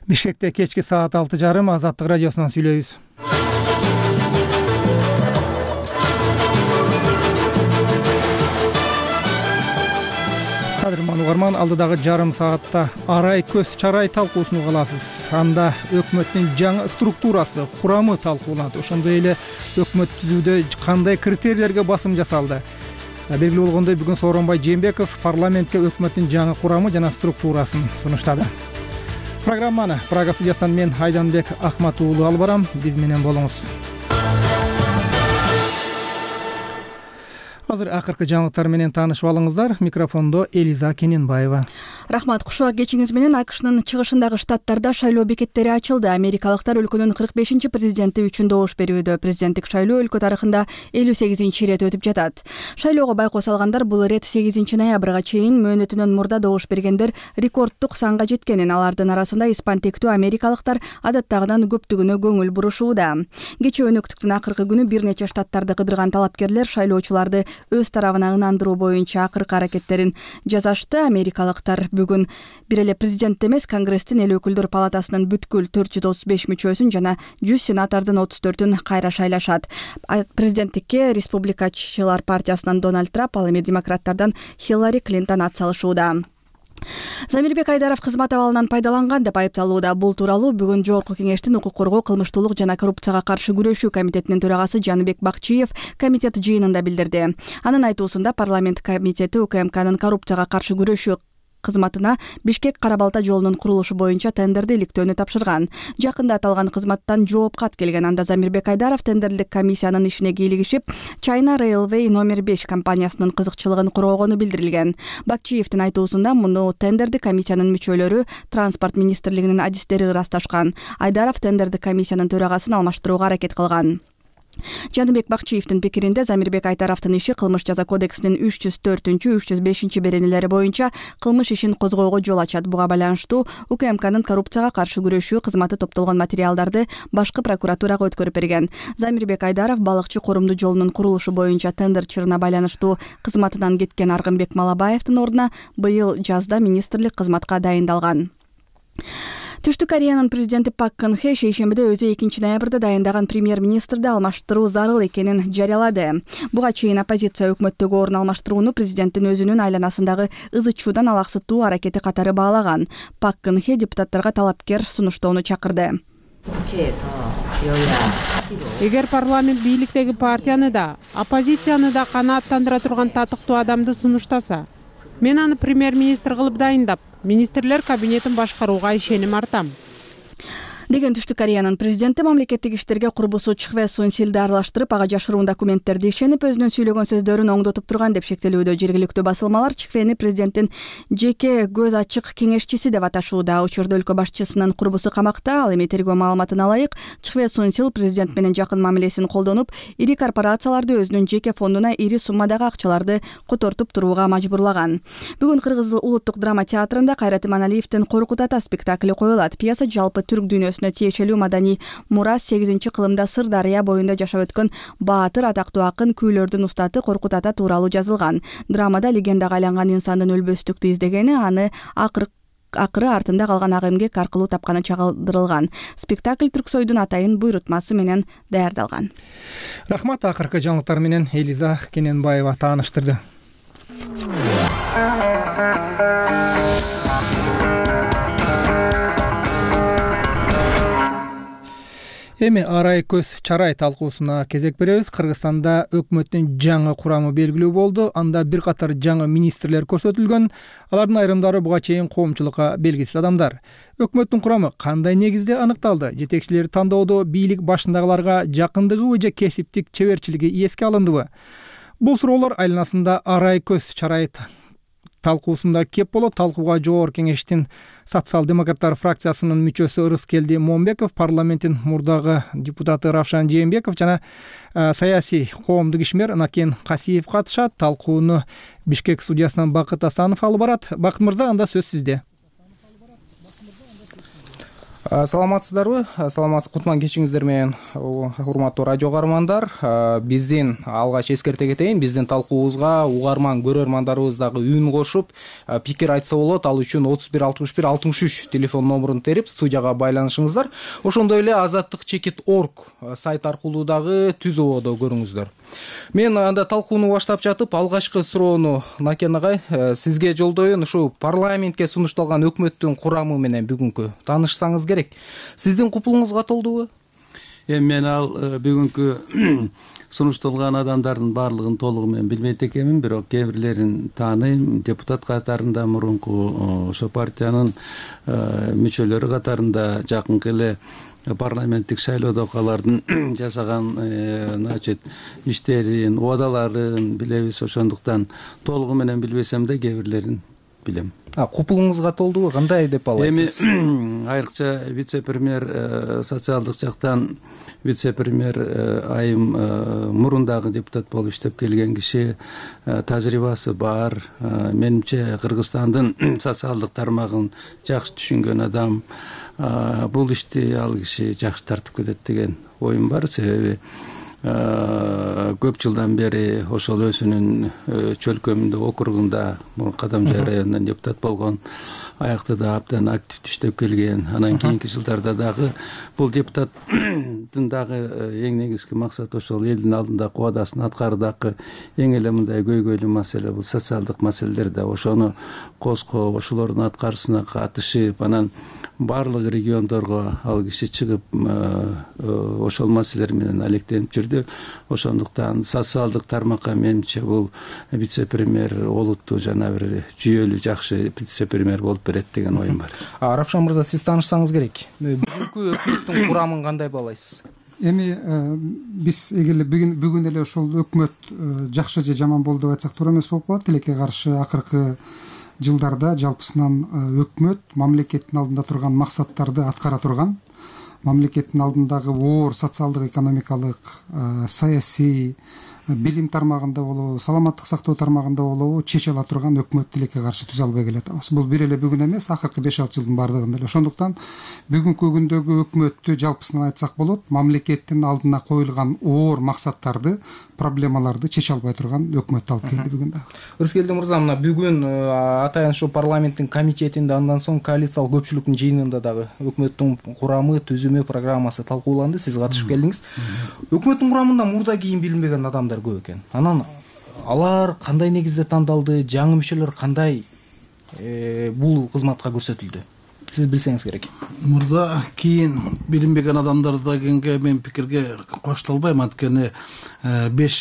Бишкекте кечки саат 6:30 Азаттык радиосунан сүйлөйбүз. Кадырман угарман, алдыдагы жарым саатта арай көз чарай талкуусун угаласыз. Анда өкмөттүн жаңы структурасы, курамы талкууланат. Ошондой эле өкмөт түзүүдө кандай критерийлерге басым жасалды? Белгилүү болгондой, бүгүн Сооронбай Жээнбеков парламентке өкмөттүн жаңы курамы жана структурасын сунуштады. Программаны Прага студиясынан мен Айданбек Ахмат уулу алып барам. Биз менен болуңуз. Азыр акыркы жаңылыктар менен таанышып алыңыздар. Микрофондо Элиза Кененбаева. Рахмат, кушуак кечиңиз менен. АКШнын чыгышындагы штаттарда шайлоо бекеттери ачылды. Америкалыктар өлкөнүн 45-чи президенти үчүн добуш берүүдө. Президенттик шайлоо өлкө тарыхында 58-чи ирет өтүп жатат. Шайлоого байкоо салгандар бул ирет 8 ноябрга чейин мөөнөтүнөн мурда добуш бергендер рекорддук санга жеткенин, алардын арасында испан тектүү америкалыктар адаттагыдан көптүгүнө көңүл бурушууда. Кечээ өнөктүктүн акыркы күнү бир нече штаттарды кыдырган талапкерлер шайлоочуларды өз тарабына ынандыруу боюнча акыркы аракеттерин жасашты. Америкалыктар бүгүн бир эле президент эмес, Конгресстин эл өкүлдөр палатасынын бүткүл 435 мүчөсүн жана 100 сенатordун 34-ын кайра шайлашат. Президенттикке республикачылар партиясынан Дональд Трамп, ал эми демократтардан Хиллари Клинтон ат салышууда. Замирбек Айдаров кызмат абалынан пайдаланган деп айыпталууда. Бул тууралуу бүгүн Жогорку кеңештин укук коргоо, кылмыштуулук жана коррупцияга каршы күрөшүү комитетинин төрагасы Жаныбек Бакчиев комитет жыйынында билдирди. Анын айтуусунда парламент комитети УКМКнын коррупцияга каршы күрөшүү кызматына Бишкек Кара-Балта жолунун курулушу боюнча тендерди иликтөөнү тапшырган. Жакында аталган кызматтан жооп кат келген. Анда Замирбек Айдаров тендерлик комиссиянын ишине кийлигишип, China Railway номер 5 компаниясынын кызыкчылыгын коргогону билдирилген. Бакчиевдин айтуусунда муну тендерди комиссиянын мүчөлөрү Транспорт министрлигинин адистери ырасташкан. Айдаров тендерди комиссиянын төрагасын алмаштырууга аракет кылган. Жаныбек Бакчиевдин пикиринде Замирбек Айдаровдун иши кылмыш жаза кодексинин 304-305 беренелери боюнча кылмыш ишин козгоого жол ачат. Буга байланыштуу УКМКнын коррупцияга каршы күрөшүү кызматы топтолгон материалдарды башкы прокуратурага өткөрүп берген. Замирбек Айдаров балыкчы корумду жолунун курулушу боюнча тендер чырына байланыштуу кызматынан кеткен Аргынбек Малабаевдин ордуна быйыл жазда министрлик кызматка дайындалган. Түштүк Кореянын президенти Пак Кын Хе шейшембиде өзү 2 ноябрда дайындаган премьер-министрди алмаштыруу зарыл экенин жарыялады. Буга чейин оппозиция өкмөттөгү орун алмаштырууну президенттин өзүнүн айланасындагы ызычуудан алаксытуу аракети катары баалаган. Пак Кын Хе депутаттарга талапкер сунуштоону чакырды. Эгер парламент бийликтеги партияны да, оппозицияны да канааттандыра турган татыктуу адамды сунуштаса, мен аны премьер-министр кылып дайындап, министрлер кабинетин башкарууга ишеним артам, деген Түштүк Кореянын президенти мамлекеттик иштерге курбусу Чхве Сун Силди аралаштырып, ага жашыруун документтерди ишенип, өзүнүн сүйлөгөн сөздөрүн оңдотуп турган деп шектелүүдө. Жергиликтүү басылмалар Чхвени президенттин жеке көз ачык кеңешчиси деп аташууда. Учурда өлкө башчысынын курбусу камакта. Ал эми тергөө маалыматына ылайык Чхве Сун Сил президент менен жакын мамилесин колдонуп, ири корпорацияларды өзүнүн жеке фондуна ири суммадагы акчаларды котортуп турууга мажбурлаган. Бүгүн Кыргыз улуттук драма театрында Кайрат Иманалиевдин Коркут ата спектакли коюлат. Пьеса жалпы түрк дүйнөсүнө тиешелүү маданий мурас 8-кылымда Сырдарыя боюнда жашап өткөн баатыр, атактуу акын, күйлөрдүн устаты Коркут ата тууралуу жазылган. Драмада легендага айланган инсандын өлбөстүктү издегени, аны акыры артында калган ак эмгек аркылуу тапканы чагылдырылган. Спектакль Түрксойдун атайын буйрутмасы менен даярдалган. Рахмат, акыркы жаңылыктар менен Элиза Кененбаева тааныштырды. Эми арай көз чарай талкуусуна кезек беребиз. Кыргызстанда өкмөттүн жаңы курамы белгилүү болду. Анда бир катар жаңы министрлер көрсөтүлгөн. Алардын айрымдары буга чейин коомчулукка белгисиз адамдар. Өкмөттүн курамы кандай негизде аныкталды? Жетекчилер тандоодо бийлик башындагыларга жакындыгыбы же кесиптик чеберчилиги эске алындыбы? Бул суроолор айланасында арай көз чарай талкуусунда кеп болот. Талкууга Жогорку кеңештин социал-демократтар фракциясынын мүчөсү Ырыскелди Момбеков, парламенттин мурдагы депутаты Равшан Жээнбеков жана саясий коомдук ишмер Накен Касиев катышат. Талкууну Бишкек студиясынан Бакыт Асанов алып барат. Бакыт мырза, анда сөз сизде. Саламатсыздарбы? Кутман кечиңиздер менен, урматтуу радио каармандар. Биздин алгач эскерте кетейин, биздин талкуубузга угарман көрөрмандарыбыз дагы үн кошуп, пикир айтса болот. Ал үчүн 31 61 63 телефон номурун терип студияга байланышыңыздар. Ошондой эле azattik.org сайт аркылуу дагы түз ободо көрүңүздөр. Мен анда талкууну баштап жатып, алгачкы суроону Накен агай сизге жолдоюн. Ушу парламентке сунушталган өкмөттүн курамы менен бүгүнкү таанышсаңыз керек. Сиздин купулуңузга толдубу? Мен ал бүгүнкү сунушталган адамдардын баардыгын толугу менен билбейт экенмин, бирок кээ бирлерин тааныйм. Депутат катарында мурунку ошо партиянын мүчөлөрү катарында жакынкы эле парламенттик шайлоодогу алардын жасаган иштерин, убадаларын билебиз. Ошондуктан толугу менен билбесем да кээ бирлерин билем. Купулуңузга толдубу? Кандай деп аласыз? Эми айрыкча вице-премьер, социалдык жактан вице-премьер айым мурун дагы депутат болуп иштеп келген киши, тажрыйбасы бар. Менимче Кыргызстандын социалдык тармагын жакшы түшүнгөн адам. Бул ишти ал киши жакшы тартып кетет деген оюм бар. Себеби көп жылдан бери ошол өзүнүн чөлкөмүндө, округунда Кадамжай районунан депутат болгон, аяктыда абдан активдүү иштеп келген. Анан кийинки жылдарда дагы бул депутаттын дагы эң негизги максаты ошол элдин алдында убадасын аткардакы эң эле мындай көйгөйлүү маселе бул социалдык маселелер да. Ошону козгоп, ошолордун аткарышына катышып, анан баардык региондорго ал киши чыгып ошол маселелер менен алектенип жүрдү. Ошондуктан социалдык тармакка менимче бул вице-премьер олуттуу жана бир жүйөлүү жакшы вице-премьер болуп берет деген оюм бар. Равшан мырза, сиз таанышсаңыз керек. Бүгүнкү өкмөттүн курамын кандай баалайсыз? Эми биз эгер эле бүгүн эле ошол өкмөт жакшы же жаман болду деп айтсак туура эмес болуп калат. Тилекке каршы акыркы жылдарда жалпысынан өкмөт мамлекеттин алдында турган максаттарды аткара турган, мамлекеттин алдындагы оор социалдык, экономикалык, саясий, билим тармагында болобу, саламаттык сактоо тармагында болобу чече ала турган өкмөт тилекке каршы түзө албай келатабыз. Бул бир эле бүгүн эмес, акыркы 5-6 жылдын баардыгында эле. Ошондуктан бүгүнкү күндөгү өкмөттү жалпысынан айтсак болот, мамлекеттин алдына коюлган оор максаттарды, проблемаларды чече албай турган өкмөт алып келди бүгүн дагы. Рыскелди мырза, мына бүгүн атайын ушу парламенттин комитетинде, андан соң коалициялык көпчүлүктүн жыйынында дагы өкмөттүн курамы, түзүмү, программасы талкууланды. Сиз катышып келдиңиз. Өкмөттүн курамында мурда кийин билинбеген адамдар көп экен. Анан алар кандай негизде тандалды, жаңы мүчөлөр кандай бул кызматка көрсөтүлдү? Сиз билсеңиз керек. Мурда кийин билинбеген адамдар дегенге мен пикирге кошула албайм. Анткени 5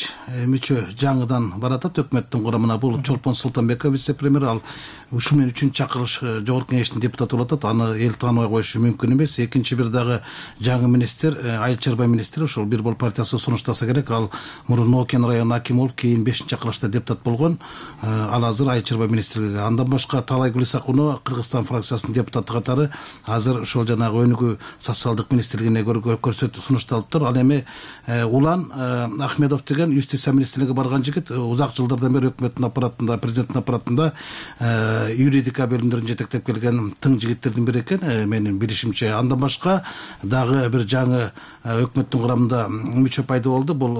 мүчө жаңыдан баратат өкмөттүн курамына. Бул Чолпон Султанбеков вице-премьер, ал ушул менен 3-чү чакырылыш жогорку кеңештин депутаты болуп атат. Аны эл тааныбай коюшу мүмкүн эмес. Экинчи бир дагы жаңы министр, Айыл чарба министри, ошол Бир Бол партиясы сунуштаса керек. Ал мурун Нокен районунун акими болуп, кийин 5-чакырылышта депутат болгон. Ал азыр Айыл чарба министри. Андан башка Талай Гулисакунова, Кыргызстан фракциясынын депутаты катары азыр ошол жанагы өнүгүү социалдык министрлигине көрсөтүп сунушталыптыр. Ал эми Улан Ахмедов деген юстиция министрлигине барган жигит, узак жылдардан бери өкмөттүн аппаратында, президенттин аппаратында юридика бөлүмдөрүн жетектеп келген тың жигиттердин бири экен, менин билишимче. Андан башка дагы бир жаңы өкмөттүн курамында мүчө пайда болду. Бул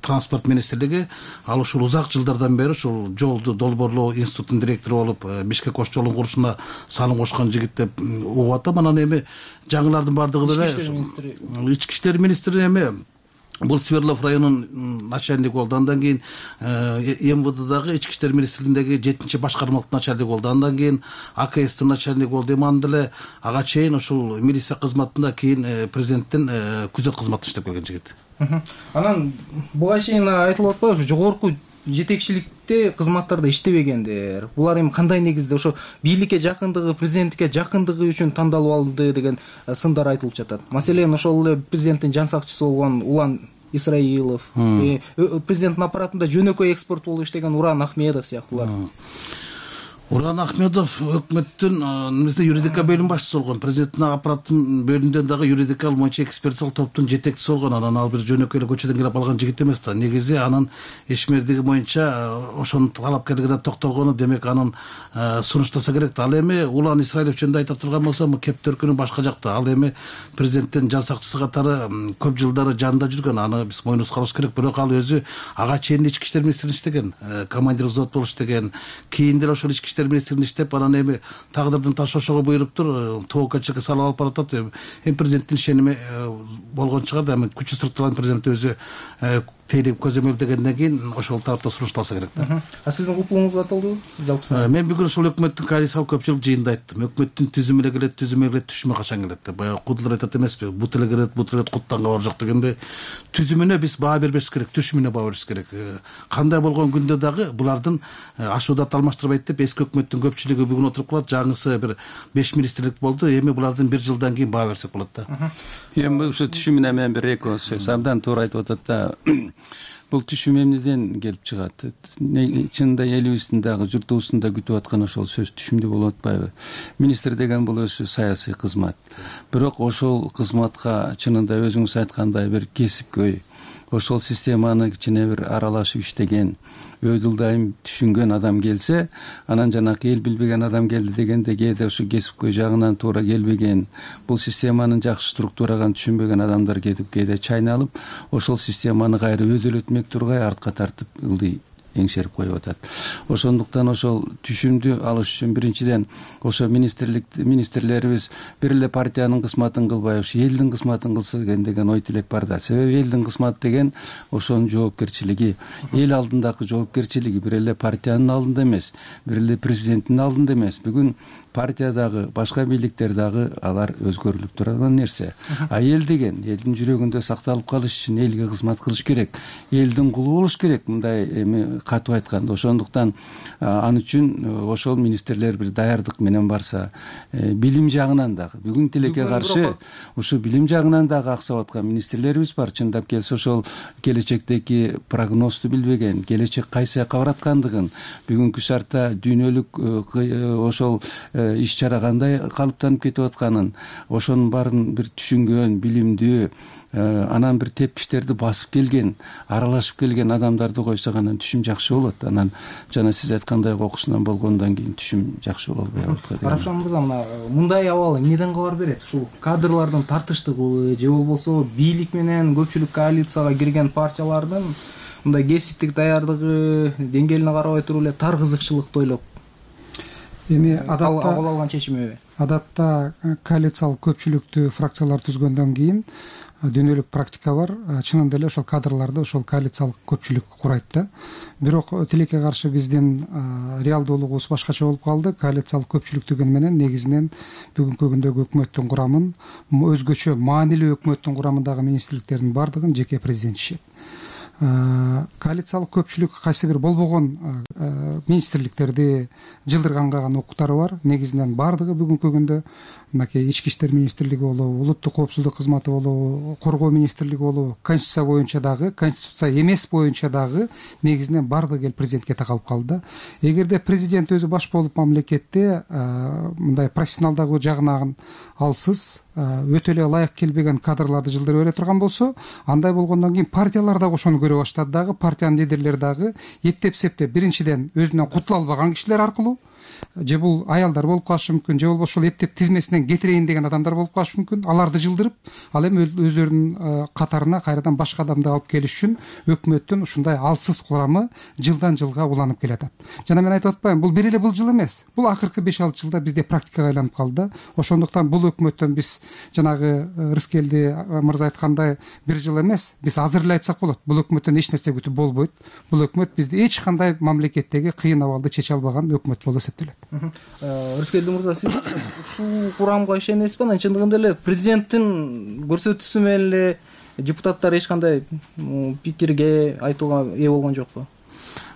транспорт министрлиги. Ал ушул узак жылдардан бери ушул жолду долбоорлоо институтунун директору болуп, Бишкек Ош жолун курушуна салым кошкон жигит деп угуп атам. Анан эми жаңылардын бардыгы деле ички иштер министри эми бул Свердлов районунун начальниги болду. Андан кийин МВДдагы ички иштер министрлигиндеги 7-чи башкармалык начальниги болду. Андан кийин АКСтин начальниги болду. Эми анда эле ага чейин ушул милиция кызматында, кийин президенттин күзөт кызматында иштеп келген жигит. Анан буга чейин айтылып атпайбы, жогорку жетекчиликте кызматтарда иштебегендер. Булар эми кандай негизде ошо бийликке жакындыгы, президенттикке жакындыгы үчүн тандалып алынды деген сындар айтылып жатат. Маселен, ошол эле президенттин жан сакчысы болгон Улан Исраилов, президенттин аппаратында жөнөкөй экспорт болуп иштеген Уран Ахмедов сыяктуулар. Уран Ахмедов өкмөттүн немесде юридика бөлүм башчысы болгон, президенттин аппараттын бөлүмүндөн дагы юридикалык боюнча экспертиялык топтун жетекчиси болгон. Анан ал бир жөнөкөй эле көчөдөн келип алган жигит эмес да. Негизи анын ишмердиги боюнча ошонун талапкерлигине токтолгону, демек анын сунуштаса керек да. Ал эми Улан Исраилов жөнүндө айта турган болсом, кеп төркүнү башка жакта. Ал эми президенттин жан сакчысы катары көп жылдары жанында жүргөн. Аны биз мойнубузга алыш керек. Бирок ал өзү ага чейин ички иштер министринде иштеген, командир взвод болуп иштеген. Кийин деле ошол ички иштер министринде иштеп, анан эми тагдырдын ташы ошого буйруптур, ТОКЧК салып алып баратат. Эми президенттин ишеними болгон чыгар да, эми күчү структуралардын президент өзү тейлеп көзөмөлдөгөндөн кийин ошол тарапта сунушталса керек да. Сиздин купуңузга аталды жалпысынан? Мен бүгүн ушул өкмөттүн коалициялык көпчүлүк жыйынында айттым. Өкмөттүн түзүмү эле келет, түзүмү эле түшүмү качан келет деп. Баягы кудулар айтат эмеспи? Бут эле келет, куттан кабар жок дегенде, түзүмүнө биз баа бербеш керек, түшүмүнө баа бериш керек. Кандай болгон күндө дагы булардын ашуудат алмаштырбайт деп эски өкмөттүн көпчүлүгү бүгүн отуруп калат. Жаңысы бир 5 министрлик болду. Эми булардын 1 жылдан кийин баа берсек болот да. Эми ушу түшүмүнө мен бир эки сөз абдан туура айтып атат да. Бул түшүм эмнеден келип чыгат? Чынында элибиздин дагы журтубуздун да күтүп аткан ошол сөз түшүмдүү болуп атпайбы? Министр деген бул өзү саясий кызмат. Бирок ошол кызматка чынында өзүңүз айткандай бир кесипкөй, ошол системаны кичине бир аралашып иштеген, өйдүлдайым түшүнгөн адам келсе, анан жанакы эл билбеген адам келди дегенде кээде ошо кесипкөй жагынан туура келбеген, бул системанын жакшы структураган түшүнбөгөн адамдар кетип кээде чайналып, ошол системаны кайра өйдөлөтмөк тургай артка тартып ылдый эңшерип коюп атат. Ошондуктан ошол түшүмдү алыш үчүн биринчиден ошо министрлерибиз бир эле партиянын кызматын кылбай, ошо элдин кызматын кылса деген ой тилек бар да. Себеби элдин кызматы деген ошонун жоопкерчилиги, эл алдындагы жоопкерчилиги бир эле партиянын алдында эмес, бир эле президенттин алдында эмес. Бүгүн партиядагы, башка бийликтер дагы алар өзгөрүлүп турган нерсе. А эл деген элдин жүрөгүндө сакталып калыш үчүн элге кызмат кылыш керек, элдин кулу болуш керек, мындай эми катуу айтканда. Ошондуктан ал үчүн ошол министрлер бир даярдык менен барса, билим жагынан дагы бүгүн тилекке каршы ушу билим жагынан дагы аксап аткан министрлерибиз бар. Чындап келсе ошол келечектеги прогнозду билбеген, келечек кайсы жакка бараткандыгын, бүгүнкү шартта дүйнөлүк ошол иш чара кандай калыптанып кетип атканын, ошонун баарын бир түшүнгөн, билимдүү, анан бир тепкичтерди басып келген, аралашып келген адамдарды койсок, анан түшүм жакшы болот. Анан жана сиз айткандай окуусунан болгондон кийин түшүм жакшы боло албайбы? Равшан мырза, мындай абал эмнеден кабар берет? Ушул кадрлардын тартыштыгыбы же болбосо бийлик менен көпчүлүк коалицияга кирген партиялардын мындай кесиптик даярдыгы деңгээлине карабай туруп эле тар кызыкчылыкты ойлоп эми кабыл алган чечимеби? Адатта коалициялык көпчүлүктүү фракциялар түзгөндөн кийин дүйнөлүк практика бар. Чынында эле ошол кадрларды ошол коалициялык көпчүлүк курайт да. Бирок тилекке каршы биздин реалдуулугубуз башкача болуп калды. Коалициялык көпчүлүк деген менен негизинен бүгүнкү күндөгү өкмөттүн курамын, өзгөчө маанилүү өкмөттүн курамындагы министрликтердин баардыгын жеке президент ишет. Коалициялык көпчүлүк кайсы бир болбогон министрликтерди жылдырганга гана укуктары бар. Негизинен баардыгы бүгүнкү күндө мынакей ички иштер министрлиги болобу, улуттук коопсуздук кызматы болобу, коргоо министрлиги болобу, конституция боюнча дагы, конституция эмес боюнча дагы негизинен баардыгы эл президентке такалып калды. Эгерде президент өзү баш болуп мамлекетте мындай профессионалдыгы жагынан алсыз, өтө эле ылайык келбеген кадрларды жылдыра бере турган болсо, андай болгондон кийин партиялар дагы ошону көрө баштады дагы, партиянын лидерлери дагы эптеп-септеп биринчиден өзүнөн кутула албаган кишилер аркылуу, же бул аялдар болуп калышы мүмкүн, же болбосо ошол эптеп тизмесинен кетирейин деген адамдар болуп калышы мүмкүн. Аларды жылдырып, ал эми өздөрүнүн катарына кайрадан башка адамды алып келиш үчүн өкмөттүн ушундай алсыз курамы жылдан жылга уланып келатат. Жана мен айтып атпайм, бул бир эле бул жыл эмес. Бул акыркы 5-6 жылда бизде практикага айланып калды. Ошондуктан бул өкмөттөн биз жанагы Рыскелди мырза айткандай бир жыл эмес, биз азыр эле айтсак болот. Бул өкмөттөн эч нерсе күтүп болбойт. Бул өкмөт бизди эч кандай мамлекеттеги кыйын абалды чече албаган өкмөт болуп эсептелет. Рыскелди мырза, сиз ушул курамга ишенесизби? Анан чындыгында эле президенттин көрсөтүүсү менен эле депутаттар эч кандай пикирге айтууга ээ болгон жокпу?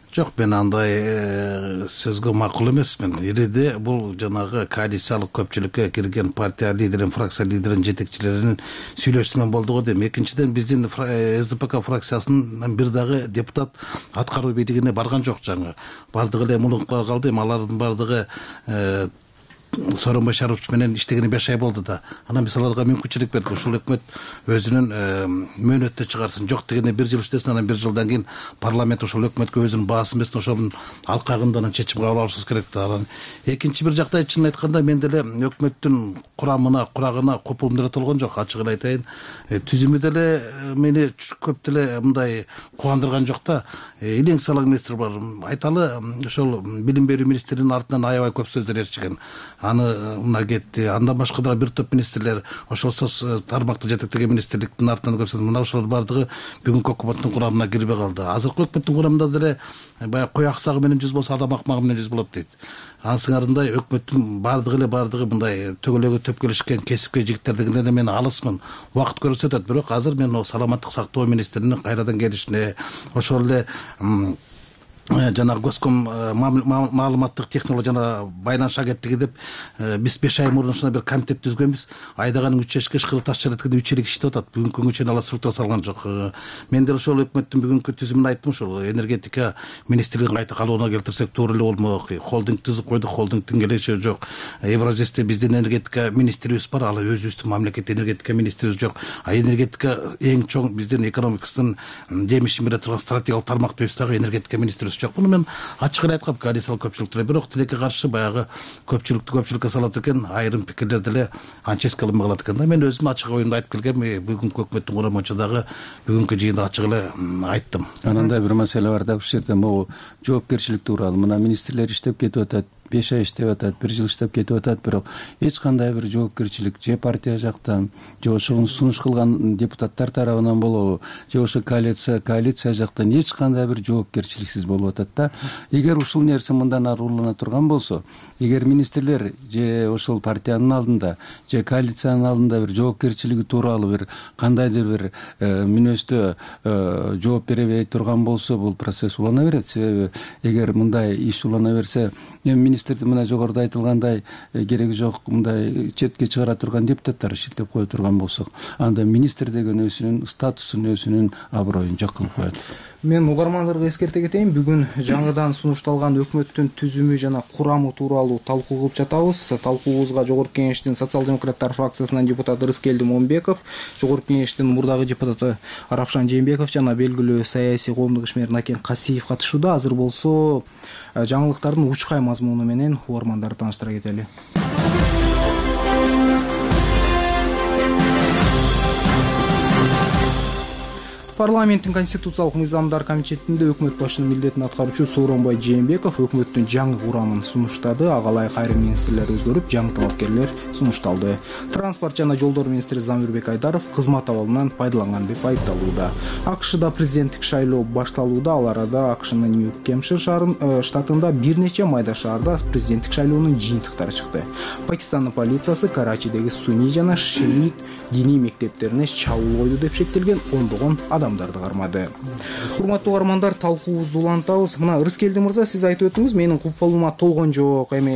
Жок, мен андай сөзгө макул эмесмин. Ириде бул жанагы коалициялык көпчүлүккө кирген партия лидерин, фракция лидерин, жетекчилеринин сүйлөшүүсү болду го дейм. Экинчиден, биздин СДПК фракциясынын бир дагы депутат аткаруу бийлигине барган жок. Жаңы бардыгы эле мулуктар калды. Алардын бардыгы Сооронбай Шарипович менен иштегени 5 ай болду да. Анан биз аларга мүмкүнчүлүк бердик. Ушул өкмөт өзүнүн мөөнөттө чыгарсын. Жок дегенде 1 жыл иштесин, анан 1 жылдан кийин парламент ошол өкмөткө өзүнүн баасын берсин, ошонун алкагында чечим кабыл алышыбыз керек да. Анан экинчи бир жакта чынын айтканда мен деле өкмөттүн курагына копулум деле толгон жок. Ачыгын айтайын, түзүмү деле мени көп деле мындай кубандырган жок да. Илең салаң министр бар. Айталы, ошол билим берүү министринин артынан аябай көп сөздөр ээрчиген. Аны мына кетти. Андан башка дагы бир топ министрлер, ошол тармакты жетектеген министрликтин артынан көрсөтүп, мына ошолор бардыгы бүгүнкү өкмөттүн курамына кирбей калды. Азыркы өкмөттүн курамында деле баягы кой аксагы менен жүз болсо, адам акмагы менен жүз болот дейт. Анысыңарындай өкмөттүн бардыгы мындай төгөлөгө төпкөлүшкөн кесипкөй жигиттерден эле мен алысмын. Убакыт көрсөтөт, бирок азыр мен саламаттык сактоо министринин кайрадан келишине, ошол эле жанагы Госком маалыматтык технология жана байланыш агенттиги деп биз 5 ай мурун ушундай бир комитет түзгөнбүз. Айдаганын 3 эшикке ышкырып таш жаратканда 3 элек иштеп атат. Бүгүнкү күнгө чейин алар структура салган жок. Мен деле ошол өкмөттүн бүгүнкү түзүмүн айттым. Ошол энергетика министрлигин кайта калыбына келтирсек туура эле болмок. Холдинг түзүп койдук, холдингдин келечеги жок. Евразисте биздин энергетика министрибиз бар, ал өзүбүздүн мамлекеттик энергетика министрибиз жок. Энергетика эң чоң биздин экономикасынын жемишин бере турган стратегиялык тармактыбыз дагы энергетика министрибиз жок. Буну мен ачык айткам коалициялык көпчүлүктө, бирок тилекке каршы баягы көпчүлүккө салат экен, айрым пикирлер деле анча эске алынбай калат экен да. Мен өзүм ачык оюмду айтып келгем, бүгүнкү өкмөттүн курамы боюнча дагы бүгүнкү жыйында ачык эле айттым. Анандай бир маселе бар да, ушул жерде могу жоопкерчилик тууралуу. Мына министрлер иштеп кетип атат, 5 ай иштеп атат, 1 жыл иштеп кетип атат, бирок эч кандай бир жоопкерчилик же партия жактан, же ошого сунуш кылган депутаттар тарабынан болобу, же ошо коалиция жактан эч кандай бир жоопкерчиликсиз болуп атат да. Эгер ушул нерсе мындан ары улана турган болсо, эгер министрлер же ошол партиянын алдында, же коалициянын алдында бир жоопкерчилиги тууралуу бир кандайдыр бир мүнөздө жооп беребей турган болсо, бул процесс улана берет. Себеби эгер мындай иш улана берсе, министрдин мына жогоруда айтылгандай кереги жок мындай четке чыгара турган депутаттар шилтеп кое турган болсок, анда министр деген өзүнүн статусун, өзүнүн аброюн жок кылып коет. Мен угармандарга эскерте кетейин, бүгүн жаңыдан сунушталган өкмөттүн түзүмү жана курамы тууралуу талкуу кылып жатабыз. Талкуубузга Жогорку Кеңештин социал-демократтар фракциясынан депутат Рыскелди Момбеков, Жогорку Кеңештин мурдагы депутаты Равшан Жээнбеков жана белгилүү саясий коомдук ишмер Накен Касиев катышууда. Азыр болсо жаңылыктардын учкай мазмуну менен угармандарды тааныштыра кетели. Парламенттин конституциялык мыйзамдар комитетинде өкмөт башчынын милдетин аткаруучу Сооронбай Жээнбеков өкмөттүн жаңы курамын сунуштады. Ага ылайык айрым министрлер өзгөрүп, жаңы талапкерлер сунушталды. Транспорт жана жолдор министри Замирбек Айдаров кызмат абалынан пайдаланган деп айыпталууда. АКШда президенттик шайлоо башталууда. Ал арада АКШнын Нью-Кемпшир штатында бир нече майда шаарда президенттик шайлоонун жыйынтыктары чыкты. Пакистандын полициясы Карачидеги суний жана шиит диний мектептерине чабуул койду деп шектелген ондогон адамдарды кармады. Урматтуу угармандар, талкуубузду улантабыз. Мына Рыскелди мырза, сиз айтып өттүңүз, менин купулума толгон жок, эми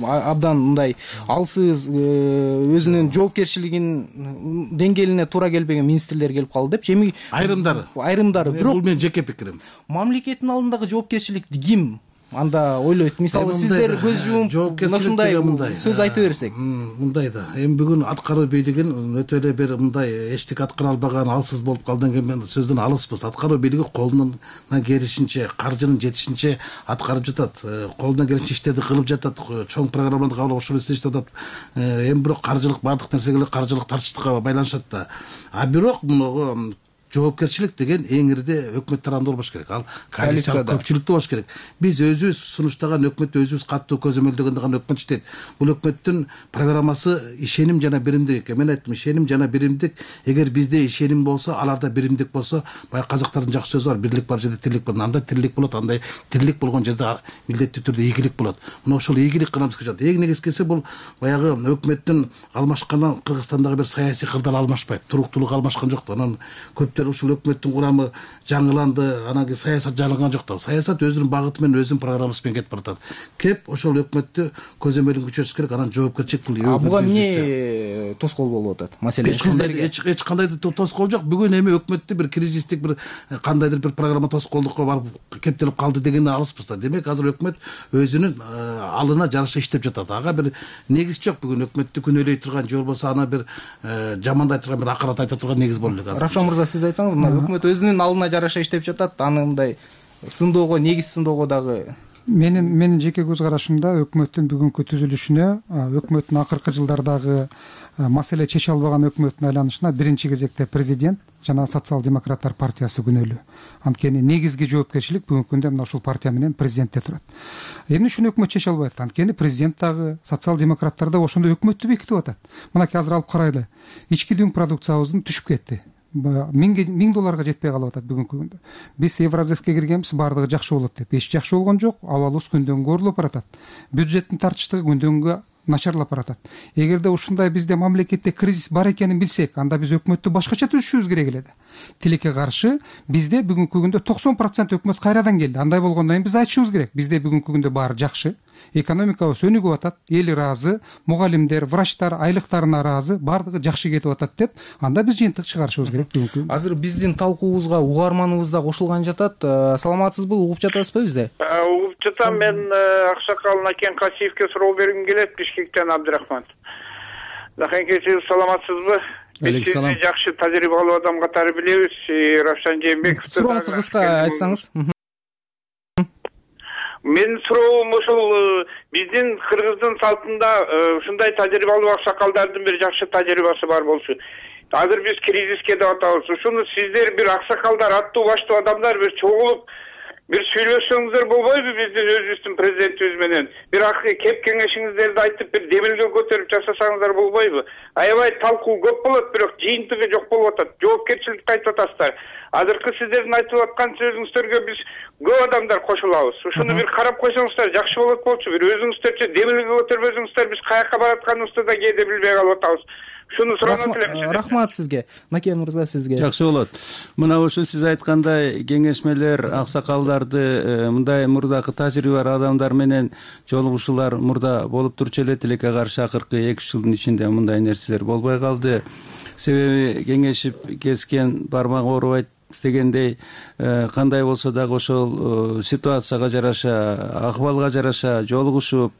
абдан мындай алсыз, өзүнүн жоопкерчилигинин деңгээлине туура келбеген министрлер келип калды деп. Эми айрымдары, бирок бул менин жеке пикирим. Мамлекеттин алдындагы жоопкерчиликти ким анда ойлойт? Мисалы сиздер көз жумуп ушундай сөз айта берсек. Мындай да. Эми бүгүн аткаруу бийлигин өтө эле бир мындай эчтеке аткара албаган, алсыз болуп калдан кийин сөздөн алыспыз. Аткаруу бийлиги колунан келишинче, каржынын жетишинче аткарып жатат. Колунан келишинче иштерди кылып жатат. Чоң программаларды кабыл алып ошол иштеп жатат. Эми бирок каржылык бардык нерсеге каржылык тартыштыкка байланышат да. Бирок муну жоопкерчилик деген эң ирде өкмөт тарабында болбош керек. Ал коалициялык көпчүлүктө болуш керек. Биз өзүбүз сунуштаган өкмөт, өзүбүз каттуу көзөмөлдөгөн өкмөт иштейт. Бул өкмөттүн программасы ишеним жана биримдик. Мен айттым, ишеним жана биримдик. Эгер бизде ишеним болсо, аларда биримдик болсо, баягы казактардын жакшы сөзү бар, бирлик бар жерде тирлик бар. Анда тирлик болот, андай тирлик болгон жерде милдеттүү түрдө ийгилик болот. Мына ошол ийгилик гана бизге жатат. Эң негизгиси бул баягы өкмөттүн алмашкандан Кыргызстандагы бир саясий кырдаал алмашпайт, туруктуулук алмашкан жок. Анан көп өкмөттөр ушул өкмөттүн курамы жаңыланды, анан кийин саясат жаңылган жок да. Саясат өзүнүн багыты менен өзүнүн программасы менен кетип баратат. Кеп ошол өкмөттү көзөмөлүн күчөтүш керек, анан жоопкерчилик буга эмне тоскоол болуп атат? Маселен эч кандай тоскоол жок. Бүгүн эми өкмөттү бир кризистик бир кандайдыр бир программа тоскоолдукка барып кептелип калды деген алыспыз да. Демек азыр өкмөт өзүнүн алына жараша иштеп жатат. Ага бир негиз жок. Бүгүн өкмөттү күнөөлөй турган же болбосо аны бир жамандай турган, бир акырат айта турган негиз боло элек. Равшан мырза, сиз айтсаңыз, мына өкмөт өзүнүн алына жараша иштеп жатат, аны мындай сындоого, негиз сындоого дагы Менин жеке көз карашымда өкмөттүн бүгүнкү түзүлүшүнө, өкмөттүн акыркы жылдардагы маселе чече албаган өкмөттүн айланышына биринчи кезекте президент жана социал-демократтар партиясы күнөөлүү. Анткени негизги жоопкерчилик бүгүнкү күндө мына ушул партия менен президентте турат. Эмне үчүн өкмөт чече албайт? Анткени президент дагы, социал-демократтар дагы ошондой өкмөттү бекитип атат. Мынакей азыр алып карайлы. Ички дүң продукциябыздын түшүп кетти. $1000 жетпей калып атат бүгүнкү күндө. Биз Евразеске киргенбиз, баардыгы жакшы болот деп. Эч жакшы болгон жок. Абалыбыз күндөн күнгө оорулуп баратат. Бюджеттин тартыштыгы күндөн күнгө начарлап баратат. Эгерде ушундай бизде мамлекетте кризис бар экенин билсек, анда биз өкмөттү башкача түзүшүбүз керек эле да. Тилекке каршы бизде бүгүнкү күндө 90% өкмөт кайрадан келди. Андай болгондон кийин биз айтышыбыз керек. Бизде бүгүнкү күндө баары жакшы. Экономикабыз өнүгүп атат, эл ыраазы, мугалимдер, врачтар айлыктарына ыраазы, баардыгы жакшы кетип атат деп, анда биз жыйынтык чыгарышыбыз керек бүгүнкү. Азыр биздин талкуубузга угарманыбыз да кошулган жатат. Саламатсызбы? Угуп жатасызбы бизде? Угуп жатам. Мен Аксакал Накен Касиевке суроо бергим келет, Бишкектен Абдрахман. Нахенке, сиз саламатсызбы? Биз сизди жакшы тажрыйбалуу адам катары билебиз. Равшан Жээнбековду сурооңузду кыска айтсаңыз. Менин суроом ушул биздин кыргыздын салтында ушундай тажрыйбалуу аксакалдардын бир жакшы тажрыйбасы бар болчу. Азыр биз кризиске деп атабыз. Ушуну сиздер бир аксакалдар, аттуу баштуу адамдар бир чогулуп бир сүйлөшсөңүздөр болбойбу биздин өзүбүздүн президентибиз менен? Бир кеп кеңешиңиздерди айтып, бир демилге көтөрүп жасасаңыздар болбойбу? Аябай талкуу көп болот, бирок жыйынтыгы жок болуп атат. Жоопкерчиликти айтып атасыздар. Азыркы сиздердин айтып аткан сөзүңүздөргө биз көп адамдар кошулабыз. Ушуну бир карап койсоңуздар жакшы болот болчу. Бир өзүңүздөрчө демилге көтөрбөсөңүздөр, биз каяка баратканыбызды да кээде билбей калып атабыз. Шуну суроону элем. Рахмат сизге. Накен мырза, сизге. Жакшы болот. Мына ошо сиз айткандай кеңешмелер аксакалдарды мындай мурдакы тажрыйба бар адамдар менен жолугушуулар мурда болуп турчу эле. Тилекке каршы акыркы 2-3 жылдын ичинде мындай нерселер болбой калды. Себеби кеңешип кескен бармак оорубайт дегендей, кандай болсо дагы ошол ситуацияга жараша, акыбалга жараша жолугушуп,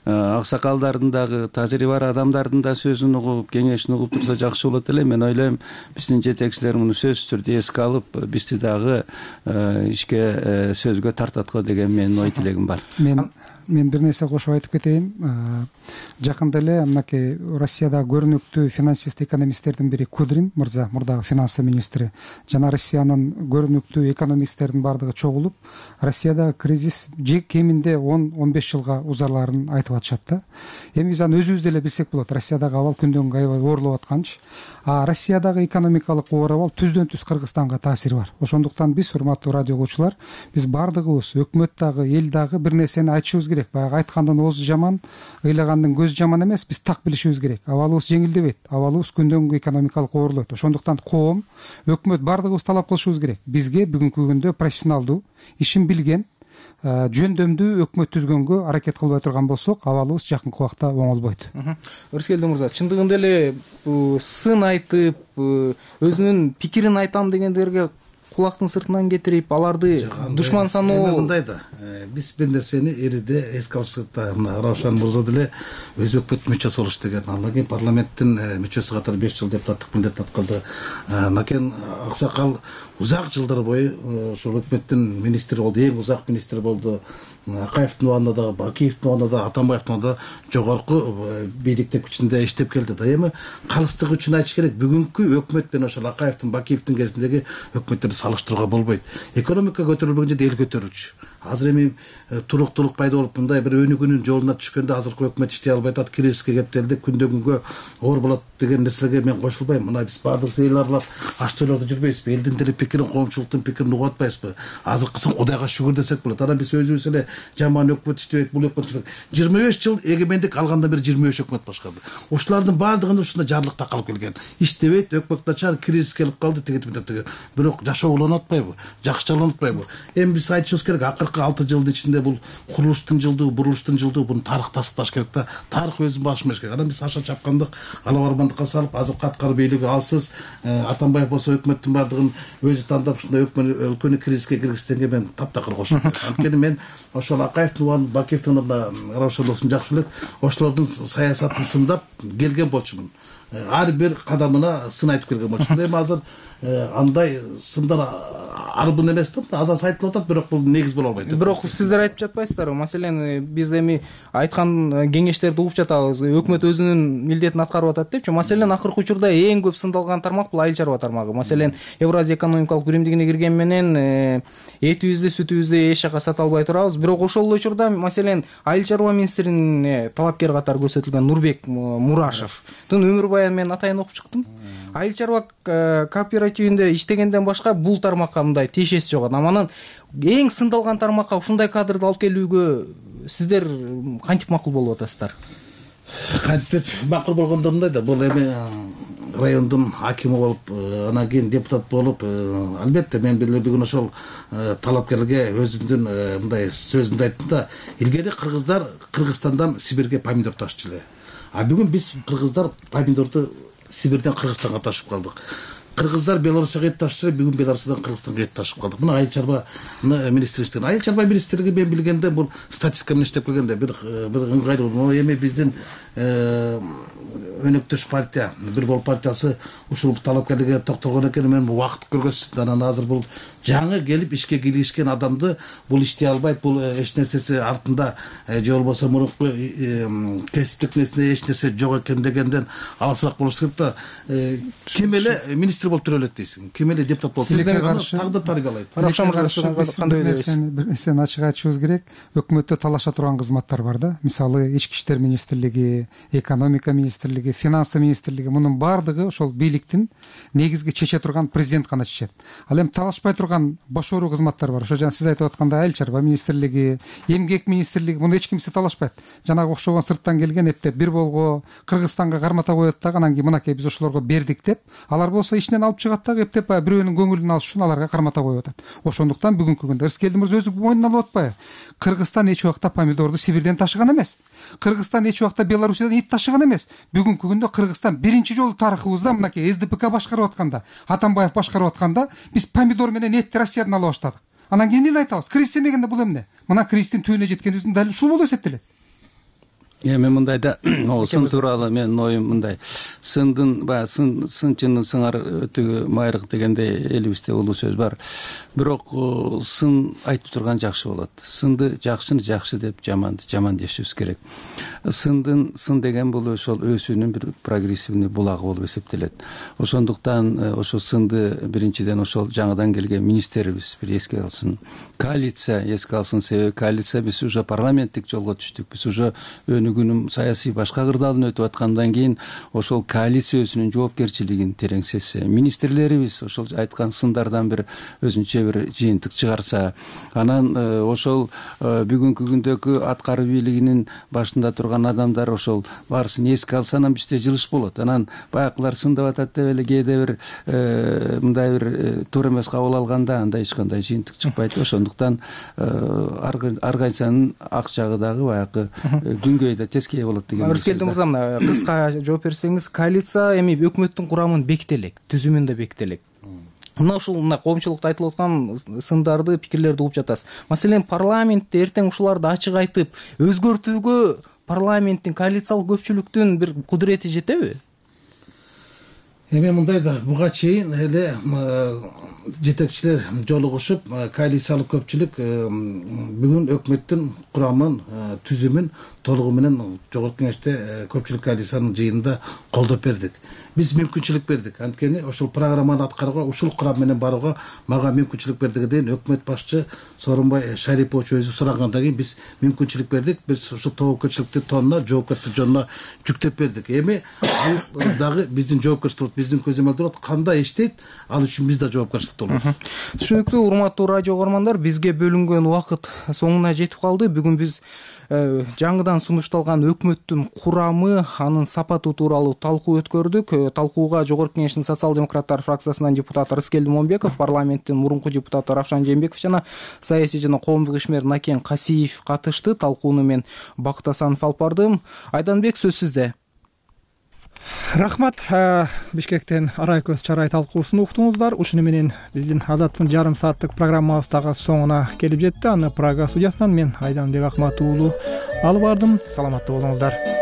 аксакалдардын дагы тажрыйба бар адамдардын да сөзүн угуп, кеңешин угуп турса жакшы болот эле. Мен ойлойм, биздин жетекчилер муну сөзсүз түрдө эске алып, бизди дагы ишке сөзгө тартат го деген менин ой тилегим бар. Мен бир нерсе кошуп айтып кетейин. Жакында эле мынакей Россиядагы көрүнүктүү финансист экономисттердин бири Кудрин мырза, мурдагы финансы министри, жана Россиянын көрүнүктүү экономисттердин баардыгы чогулуп, Россиядагы кризис кеминде 10-15 жылга узарларын айтып атышат да. Эми биз аны өзүбүз деле билсек болот. Россиядагы абал күндөн күнгө аябай оорлоп атканчы. Россиядагы экономикалык оор абал түздөн түз Кыргызстанга таасири бар. Ошондуктан биз, урматтуу радио угуучулар, биз баардыгыбыз, өкмөт дагы, эл дагы бир нерсени айтышыбыз керек. Баягы айткандын оозу жаман, ыйлагандын көзү жаман эмес. Биз так билишибиз керек. Абалыбыз жеңилдебейт. Абалыбыз күндөн күнгө экономикалык оорлойт. Ошондуктан коом, өкмөт баардыгыбыз талап кылышыбыз керек. Бизге бүгүнкү күндө профессионалдуу, ишин билген, жөндөмдүү өкмөт түзгөнгө аракет кылбай турган болсок, абалыбыз жакынкы убакта оңолбойт. Өрскелди мырза, чындыгында эле сын айтып, өзүнүн пикирин айтам дегендерге кулактын сыртынан кетирип, аларды душман саноо мындай да. Биз бир нерсени эриде эске алышсак да, мына Равшан мырза деле өз өкмөт мүчөсү болуш деген. Андан кийин парламенттин мүчөсү катары 5 жыл депутаттык милдет аткарды. Накен Аксакал узак жылдар бою ошол өкмөттүн министри болду, эң узак министр болду. Акаевдин убагында да, Бакиевдин убагында да, Атамбаевдин убагында жогорку бийликтер күчүндө иштеп келди да. Эми калыстыгы үчүн айтыш керек, бүгүнкү өкмөт менен ошол Акаевдин, Бакиевдин кезиндеги өкмөттөрдү салыштырууга болбойт. Экономика көтөрүлбөгөн жерде эл көтөрүлчү. азыр эми туруктуулук пайда болуп мындай бир өнүгүүнүн жолуна түшкөндө азыркы өкмөт иштей албай атат, кризиске кептелди, күндөн күнгө оор болот деген нерселерге мен кошулбайм. Мына биз баардык эл аралап аш тойлордо жүрбөйбүзбү, элдин деле пикирин, коомчулуктун пикирин угуп атпайбызбы? Азыркысын Кудайга шүгүр десек болот. Анан биз өзүбүз эле жаман өкмөт иштебейт, бул өкмөт 25 жыл эгемендик алгандан бери 25 өкмөт башкарды. Ошолордун баардыгында ушундай жарлыкта калып келген. Иштебейт, өкмөт начар, кризис келип калды, деген. Бирок жашоо уланып атпайбы? Жакшы уланып атпайбы? Эми биз айтышыбыз керек, акыркы 6 жылдын ичинде бул курулуштун жылдыгы, бурулуштун жылдыгы, буну тарых тастыкташ керек да. Тарых өзүн башмаш керек. Анан биз аша чапкандык, алабармандыкка салып, азыркы аткаруу бийлиги алсыз, Атамбаев болсо өкмөттүн баардыгын өзү тандап ушундай өлкөнү кризиске киргизгенге мен таптакыр кошулам. Анткени мен ошол Акаевдин, Бакиевдин Равшан жакшы билет, ошолордун саясатын сындап келген болчумун. Ар бир кадамына сын айтып келген болчумун. Эми азыр андай сындар арбын эмес да, аз айтылып атат, бирок бул негиз боло албайт. Бирок сиздер айтып жатпайсыздарбы? Маселен, биз эми айткан кеңештерди угуп жатабыз. Өкмөт өзүнүн милдетин аткарып атат депчи. Маселен, акыркы учурда эң көп сындалган тармак бул айыл чарба тармагы. Маселен, Евразия экономикалык биримдигине кирген менен этибизди, сүтүбүздү эч жака сата албай турабыз. Бирок ошол эле учурда, маселен, айыл чарба министрине талапкер катары көрсөтүлгөн Нурбек Мурашевдун өмүр баянын мен атайын окуп чыктым. Айыл чарба кооперативинде иштегенден башка бул тармакка мындай тиешеси жок. Анан эң сындалган тармакка ушундай кадрды алып келүүгө сиздер кантип макул болуп атасыздар? Кантип макул болгондо мындай да, бул эми райондун акими болуп, анан кийин депутат болуп, албетте мен бүгүн ошол талапкерге өзүмдүн мындай сөзүмдү айттым да, илгери кыргыздар Кыргызстандан Сибирге помидор ташчу эле. А бүгүн биз кыргыздар помидорду Сибирден Кыргызстанга ташып калдык. Кыргыздар Белоруссияга эт ташчу, бүгүн Белоруссиядан Кыргызстанга эт ташып калдык. Мына айыл чарба министрлиги. Айыл чарба министрлиги мен билгенде бул статистика менен иштеп келгенде бир ыңгайлуу. Эми биздин өнөктөш партия, бир бол партиясы ушул талапкерлерге токтолгон экен, мен убакыт көргөзсүн. Анан азыр бул жаңы келип ишке киришкен адамды бул иштей албайт, бул эч нерсеси артында же болбосо мурунку кесиптик нерсесинде эч нерсе жок экен дегенден алысыраак болуш керек да. Ким эле министр болуп жүрө элек дейсиң, ким эле депутат болуп тагдыр тарбиялайт. Рахшан мырза, кандай ойлойсуз? Бир нерсени ачык айтышыбыз керек. Өкмөттө талаша турган кызматтар бар да. Мисалы, Ички иштер министрлиги, экономика министрлиги, финансы министрлиги, мунун баардыгы ошол бийликтин негизги чече турган президент гана чечет. Ал эми талашпай турган башкаруу кызматтар бар. Ошо жана сиз айтып аткандай айыл чарба министрлиги, эмгек министрлиги, муну эч кимсе талашпайт. Жанагы окшогон сырттан келген эптеп бир болго Кыргызстанга кармата коет дагы, анан кийин мынакей биз ошолорго бердик деп, алар болсо ичинен алып чыгат дагы эптеп бирөөнүн көңүлүн алыш үчүн аларга кармата коюп атат. Ошондуктан бүгүнкү күндө Рыскелди мырза өзү мойнуна алып атпайбы? Кыргызстан эч убакта помидорду Сибирден ташыган эмес. Кыргызстан эч убакта Белоруссиядан ит ташыган эмес. Бүгүнкү күндө Кыргызстан биринчи жолу тарыхыбызда мынакей СДПК башкарып атканда, Атамбаев башкарып атканда биз помидор менен этти Россиядан алып баштадык. Анан кийин эле айтабыз, кризис эмегенде бул эмне? Мына кризистин түбүнө жеткенибиздин дәл ушул болуп эсептелет. Эми мындай да, сын тууралуу менин оюм мындай. Сындын баягы сынчынын сыңар өтүгү майрык дегендей элибизде улуу сөз бар. Бирок сын айтып турган жакшы болот. Сынды жакшыны жакшы деп, жаманды жаман дешибиз керек. Сын деген бул ошол өсүүнүн бир прогрессивный булагы болуп эсептелет. Ошондуктан ошол сынды биринчиден ошол жаңыдан келген министрибиз бир эске алсын. Коалиция эске алсын, себеби коалиция биз уже парламенттик жолго түштүк. Биз уже өнүгүүнүн саясий башка кырдаалын өтүп аткандан кийин ошол коалиция өзүнүн жоопкерчилигин терең сезсе, министрлерибиз ошол айткан сындардан бир өзүнчө бир жыйынтык чыгарса, анан ошол бүгүнкү күндөгү аткаруу бийлигинин башында турган адамдар ошол баарысын эске алса, анан бизде жылыш болот. Анан баягылар сындап атат деп эле кээде бир мындай бир туура эмес кабыл алганда анда эч кандай жыйынтык чыкпайт. Ошондуктан ар кайсынын ак жагы дагы баягы дүнгөй да тескей болот деген. Рыскелди мырза, мына кыска жооп берсеңиз, коалиция эми өкмөттүн курамын бекителек, түзүмүн да бекителек. Мына ушул коомчулукта айтылып аткан сындарды, пикирлерди угуп жатасыз. Маселен, парламентте эртең ушуларды ачык айтып, өзгөртүүгө парламенттин, коалициялык көпчүлүктүн бир кудурети жетеби? Эми мындай да, буга чейин эле жетекчилер жолугушуп, коалициялык көпчүлүк бүгүн өкмөттүн курамын, түзүмүн толугу менен жогорку кеңеште көпчүлүк коалициянын жыйынында колдоп бердик. биз мүмкүнчүлүк бердик. Анткени ошол программаны аткарууга, ушул курам менен барууга мага мүмкүнчүлүк бердиге дейин өкмөт башчы Сооронбай Шарипович өзү сурагандан кийин биз мүмкүнчүлүк бердик. Биз ушул тобокелчиликти тонуна, жоопкерчилик жөнүнө жүктөп бердик. Эми ал дагы биздин жоопкерчилик, биздин көзөмөлдө кандай иштейт, ал үчүн биз да жоопкерчиликте болобуз. Түшүнүктүү. Урматтуу радио угармандар, бизге бөлүнгөн убакыт соңуна жетип калды. Бүгүн биз жаңыдан сунушталган өкмөттүн курамы, анын сапаты тууралуу талкуу өткөрдүк. Талкууга Жогорку Кеңештин социал-демократтар фракциясынан депутат Рыскелди Момбеков, парламенттин мурунку депутаты Равшан Жээнбеков жана саясий жана коомдук ишмер Накен Касиев катышты. Талкууну мен Бакыт Асанов алып бардым. Айданбек, сөз сизде. Рахмат. Бишкектен арай көз чарай талкуусун уктуңуздар. Ушуну менен биздин Азаттын жарым сааттык программабыз дагы соңуна келип жетти. Аны Прага студиясынан мен Айданбек Акмат уулу алып бардым. Саламатта болуңуздар.